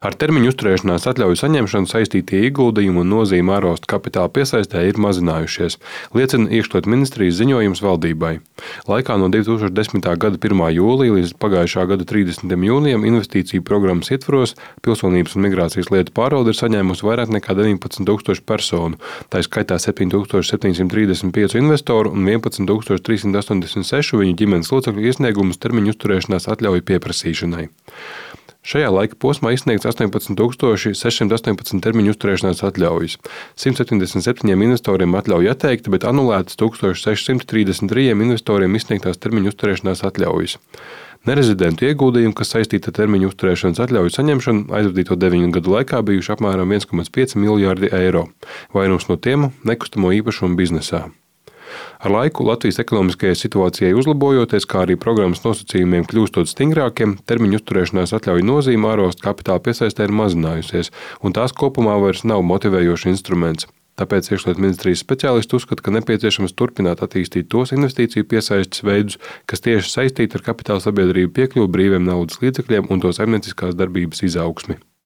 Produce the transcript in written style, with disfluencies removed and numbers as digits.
Ar termiņu uzturēšanās atļauju saņemšanu saistītie ieguldījumi un nozīme ārvalstu kapitāla piesaistē ir mazinājušies, liecina Iekšlietu ministrijas ziņojums valdībai. Laikā no 2010. gada 1. jūlija līdz pagājušā gada 30. jūnijam investīciju programmas ietvaros Pilsonības un migrācijas lietu pārvalde ir saņēmusi vairāk nekā 19,000 personu, tā skaitā 7,735 investoru un 11,386 viņu ģimenes locekļu iesniegumus termiņu uzturēšanās atļauju pieprasīšanai. Šajā laika posmā izsniegts 18,618 termiņu uzturēšanās atļaujas. 177 investoriem atļauja atteikta, bet anulētas 1,633 investoriem izsniegtās termiņu uzturēšanās atļaujas. Nerezidentu ieguldījumi, kas saistīti ar termiņu uzturēšanas atļauju saņemšanu, aizvadīto 9 gadu laikā bijuši apmēram 1,5 miljārdi eiro. Vairums no tiem nekustamo īpašumu biznesā. Ar laiku Latvijas ekonomiskajai situācijai uzlabojoties, kā arī programmas nosacījumiem kļūstot stingrākiem, termiņu uzturēšanās atļauju nozīme ārvalstu kapitāla piesaistē ir mazinājusies, un tās kopumā vairs nav motivējošs instruments. Tāpēc Iekšlietu ministrijas speciālisti uzskata, ka nepieciešams turpināt attīstīt tos investīciju piesaistes veidus, kas tieši saistīti ar kapitāla sabiedrību piekļuvi brīviem naudas līdzekļiem un to saimnieciskās darbības izaugsmi.